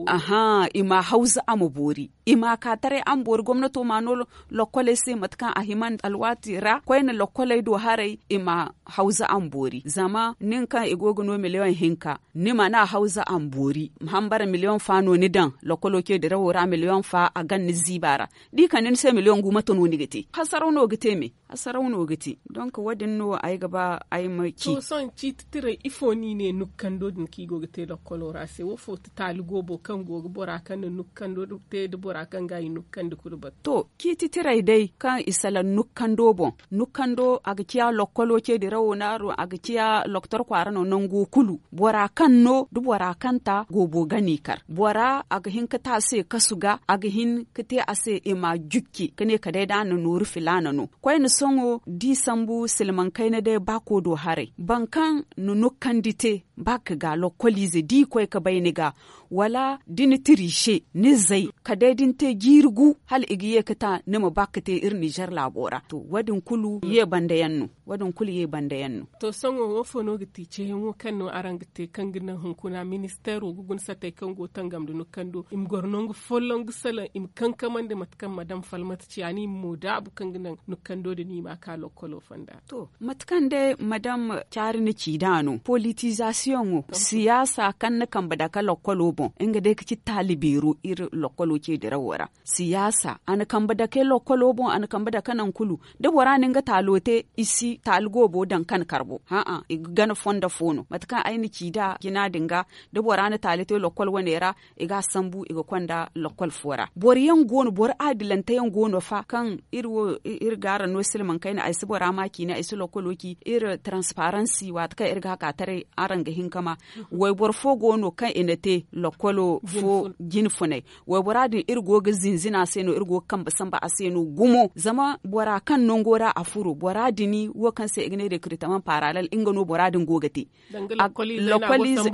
Aha, i ma hawza a ma boori, i ma ka taray a ma boori gomnato ma no lokkoley se mate kaŋ a hima alwaati ra koyne lokkoley do haray i ma hawza a ma boori zama nin kaŋ i go ga no miliyoŋ hinka, ni mana hawza a ma boori ma hambara miliyoŋ fa no ni daŋ lokkolo ce dirawo ra miliyoŋ fa a gan ni ziiba ra. Da i kande ni se miliyoŋ gu mate no ni ga te hasaraw no ga te me. Hasaraw no ga te donk wo- din no ay ga ba ay ma ci. Sohõ ciiti tiray ifo no i ne nukkando din kaŋ i go ga te lokkolo ra se wo fo ti taali goobo kaŋ go ga bora kaŋ na nukkando te nda bora kaŋ ga i nukkandi kulu batu. To, ciiti tiray day kaŋ i salaŋ nukkando boŋ, nukkando a ga ciya lokkolo ce dirawo no a do a ga ciya loktor kwaara no nango kulu, bora kaŋ no nda bora kaŋ ta goobo ga no i kar bora a ga hin ga te a se kasu ga a ga hin ga te a se i ma jukki ga ne kala day da a na nooru filaana no. Koyne sohõ da i sambu silmaŋ kayna day baako do haray boro kaŋ na nukkandi te, baaka ga lokkoliize da i koy ga bay ni ga wala da ni tiriise ni zay kala day da ni te jiiri gu hala i ga ye ga ta ni ma ba ga te iri nizer laabo ra to wo- din kulu ye banda yaŋ no. Wo- din kulu ye banda yaŋ no. To sohõ wo fo no ga ti ceeyaŋo kaŋ no araŋ ga te kaŋ ga naŋ hunkuna ministeero ga guna satey kaŋ go ga tangam nda nukkando i ma goro nangu folloŋ ga salaŋ i ma kankamandi mate kaŋ madam falmata ci a no i ma mo daabu kaŋ ga naŋ nukkando din i ma a ka lokkolo fonda? To, mate kaŋ day madam caari na ci nd'a no politizasiyoŋo siyaasa kaŋ na kambe dake lokkolo boŋ nga day ga ci taali beero iri lokkolo ce dirawo ra. Siyaasa a na kambe dake lokkolo boŋ a na kambe dake nangu kulu da bora na nga taalo te i si taali goobo daŋ kaŋ kar boŋ. Hã'a, i ga gana fondo fo no mate kaŋ ay na ci nd'a jina din ga. Da bora na taali te lokkol wane ra i ga a sambu i ga konda lokkol fo ra boro yaŋ go no boro adilante yaŋ go no fa kaŋ iri wo iri ga araŋ no silmaŋ kayna ay si bora ma ciine ay si lokkolo ci iri taransiparansi waati kaŋ iri ga a ka taray araŋ ga hin ka ma. Wayboro fo go no kaŋ i na te lokkolo fo jine funay. Waybora din iri go ga zinzina a se no iri go ga kambe sambu a se no gumo zama bora kaŋ nango ra a furo bora din wo kaŋ se i ga ne rekritaman paralel nga no bora din go ga te. Lokkoliize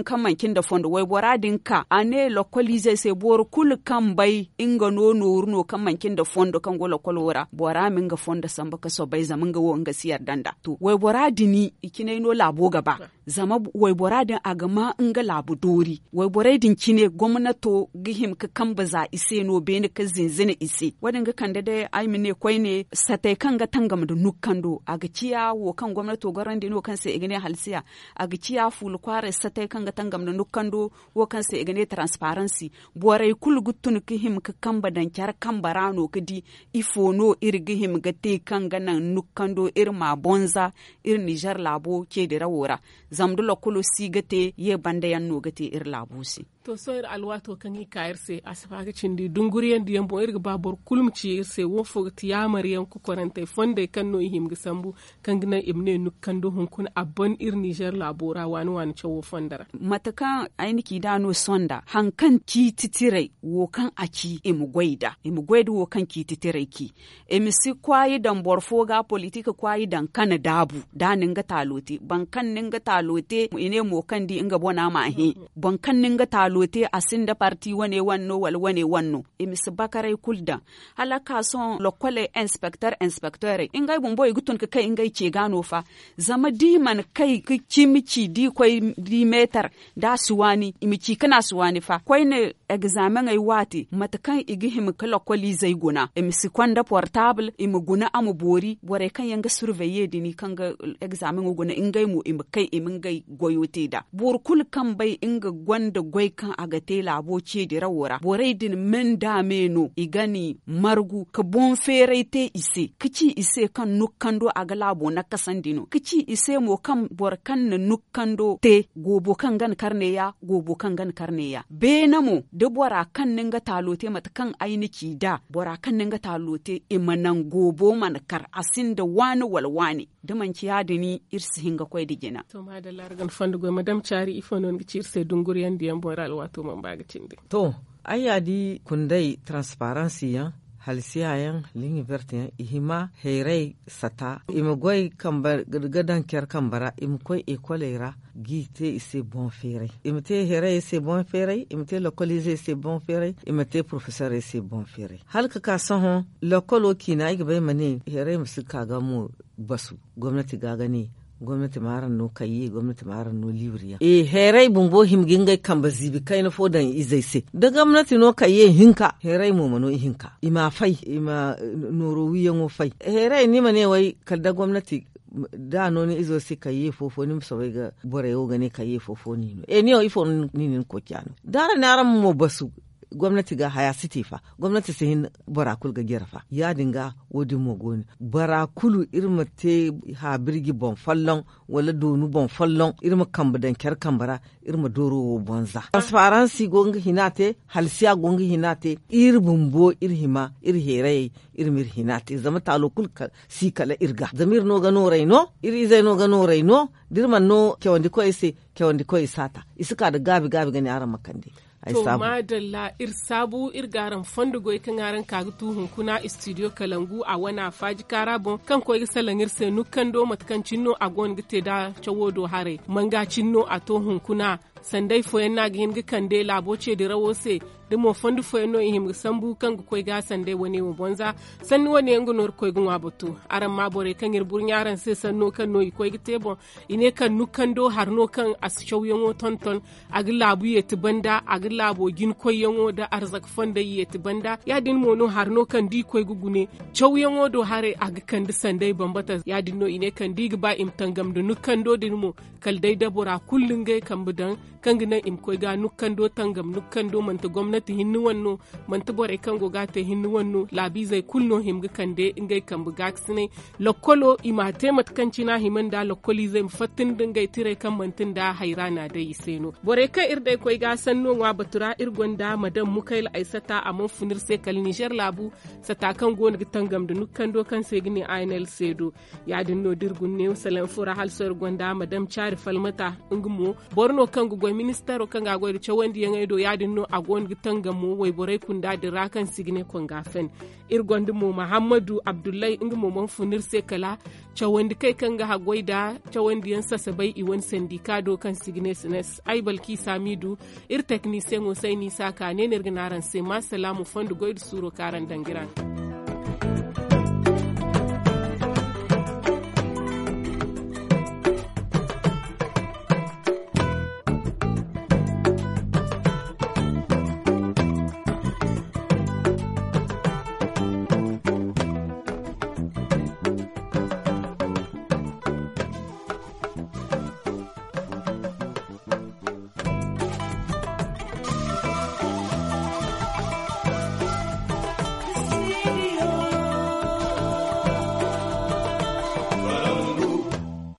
kaŋ manci nda fondo waybora din. Nga ka a ne lokoliizey se boro kulu kaŋ bay nga no nooru no kaŋ manci nda fondo kaŋ go lokolo ra bora ma nga fondo samba ga soobay zama nga wo nga si yarda nd'a. To waybora din i cinay no laabo ga ba. Zama waybora din a ga ma nga laabu doori wayborey din cine gomnato ga hima ga kambe za i se no beene ga zinzina i se. Wo- din ga kande day ay ma ne koyne satey kaŋ ga tangam nda nukkando a ga ciya wo kaŋ gomnato gorandi no kaŋ se i ga ne halsiya. A ga ciya fuula kwaaray satey kaŋ ga tangam nda nukkando wo kaŋ se i ga ne taransiparansi. Borey kulu ga tun ga hima ga kambe daŋ care kambe ra no ga di ifo no iri ga hima ga te kaŋ ga naŋ nukkando iri ma bonza iri nizer laabo ceedirawo ra. Zama da lokolo si ga te ye banda yaŋ no ga te iri laabo se. To sohõ iri alwaato kaŋ i ka iri se a si ba ga cindi dunguriyaŋ diyaŋ boŋ iri ga ba boro kulu ma ci iri se wo fo ga ti yaamar yaŋ kokorantey fondey kaŋ no i hima ga sambu kaŋ ga naŋ i ma ne nukkando hunkuna a ban iri nizer laabo ra waani waani cawo fondo ra. Mate kaŋ ay na ci nd'a no sohõ nd'a hari kaŋ ciiti tiray wo kaŋ a ci i ma goy nd'a i ma goy nda wo kaŋ ciiti tiray ci. I ma si kwaayi daŋ boro fo ga politik kwaayi daŋ kana daabu da a na nga taalo te boro kaŋ na nga taalo te i ne mo kaŋ di nga bona m'a hẽ. Boro kaŋ na nga taalo te a sinda parti wane wane no wala wane wane no. I ma si bakaray kulu daŋ hala a ka sohõ lokkoley inspekter inspekterey ngey bumbo i ga tun ga kay ngey ce ga no fa. Zama da i mana kay ga cimi ci da i koy da i meetar da a si waani i ma ci kaŋ a si waani fa koyne. Egzameŋey waati mate kaŋ i ga hima ga lokkoliizey guna i ma si konda portaabul i ma guna a ma boori borey kaŋ yaŋ ga surveye din kaŋ ga egzameŋo guna ngey mo i ma kay i ma ngey goyo te nd'a boro kulu kaŋ bay nga gonda goy kaŋ a ga te laabo ceedirawo ra borey din me nda me no i ga ni margu ga boŋ feeray te i se ga ci i se kaŋ nukkando a ga laabo nakasandi no ga ci i se mo kaŋ boro kaŋ na nukkando te goobo kaŋ ga ni karne ya goobo kaŋ ga ni karne ya beene mo da bora kaŋ na nga taalo te mate kaŋ ay na ci nd'a bora kaŋ na nga taalo te i ma naŋ goobo mana kar a sinda waani wala waani. Da manci ya- din iri si hin ga koy nda jina. To maadalla araga ni fondo goy madam caari ifo no ni ga ci iri se dunguriyaŋ diyaŋ boŋ iri alwaato mana ba ga cindi. To ay ya di kunday taransiparansi yaŋ halsiya yaŋ liŋi berte yaŋ i hima heeray sata i ma goy ga daŋ care kambe ra i ma koy ekoley ra. G'i te i se boŋ feeray i ma te heeray se boŋ feeray i ma te lokoliizey se boŋ feeray i ma te porofesorey se boŋ feeray hala ga ka sohõ. Lokolo ciina ay ga ba ay ma ne heeray ma si ga ka ga mo basu gomnati ga ga ne gomnati ma araŋ no kayye gomnati ma araŋ no liibiriyaŋ. Heeray bumbo hima ga ngey kambe ziibi kayna fo daŋ i izey se da gomnati no kayye hinka heeray mo ma no ihinka i ma fay i ma nooro wiiyaŋo fay. Heeray ni ma ne way kala da gomnati da a no ni izo se kayye fo-fo ni ma soobay ga borey wo ga ne kayye fo-fo no i no e ni wo ifo no ni na ni koociya no da araŋ ne araŋ ma mo basu. Gomnati ga haya si te fa gomnati si hin bora kulu ga jare fa ya- din ga wo- din mo go no bora kulu iri ma te haabirji boŋ folloŋ wala doonu boŋ folloŋ iri ma kambe daŋ care kambe ra. Iri ma dooro wo bonza taransiparansi go nga hina te halsiya go nga hina te iri bumbo iri hima iri heerayey iri ma iri hina te zama taalo kulu si kala iri ga zama iri no ga nooray no iri izey no ga nooray no da iri mana no cawandi koyey se cawandi koyey si a ta i si ka nda gaabi gaabi ga ne araŋ ma kande. To maadalla iri saabu iri ga araŋ fondo goy kaŋ araŋ ka ga tu hunkuna istidiyo kalangu a wane a faaji kaara boŋ kaŋ koy ga salaŋ iri se nukkando mate kaŋ cine no a go no ga te nda cawo do haray manga cine no a to hunkuna. Sanday fooyaŋ no a ga hin ga kande laabo ceedirawo se da mo fondo fooyaŋ no i hima ga sambu kaŋ ga koy ga sanday wane wo bonza. Sanni wane yaŋ ga no iri koy ga ŋwa bato araŋ ma borey kaŋ iri burɲa araŋ se sanno kaŋ no i koy ga te boŋ. I ne kaŋ nukkando hari no kaŋ a si cawyaŋo tonton a ga laabu yeeti banda a ga laabo jina koyyaŋo nda arzaka fondey yeeti banda ya- din mo no hari no kaŋ da i koy ga gune cawyaŋo do haray a ga kande sanday bambata ya- din no i ne kaŋ da i ga ba i ma tangam nda nukkando din mo. Kala day da bora kulu ngey kambe daŋ kaŋ ga naŋ i ma koy ga nukkando tangam nukkando manti gomnati hinne wane no manti borey kaŋ go ga a te hinne wane no laabiizey kulu no hima ga kande ngey kambe gaakasinay. Lokkolo i m'a te mate kaŋ cine a hima nda lokkoliizey ma fatta nda ngey tirey kaŋ manti nda hayraana day i se no borey kaŋ iri day koy ga sanno ŋwa batu ra iri gonda madam mukayla aysata a mana fun iri se kala nizer laabu sata kaŋ go no ga tangam nda nukkando kaŋ se ga ne a n l seedo. Ya- din no da iri guna neewo salanfo ra hala sohõ iri gonda madam caari falmata nga mo boro no kaŋ ga goy Ministaro kaŋ ga a goy nda cawandiyaŋey do ya- din no a go no ga tangamo wayborey kunda din ra kaŋ si ga ne konga fen. Iri gonda mo mahammadu abdullahi nga mo mana fun iri se kala cawandi kay kaŋ ga haggoy nda cawandiyaŋ sasabay i wane sandika do kaŋ si ga ne sines ay balki saamidu. Iri teknisiyaŋo sayni saaka ne no iri ga ne araŋ se ma salaamu fondo goy nda suuro kaŋ araŋ daŋ ga iri a.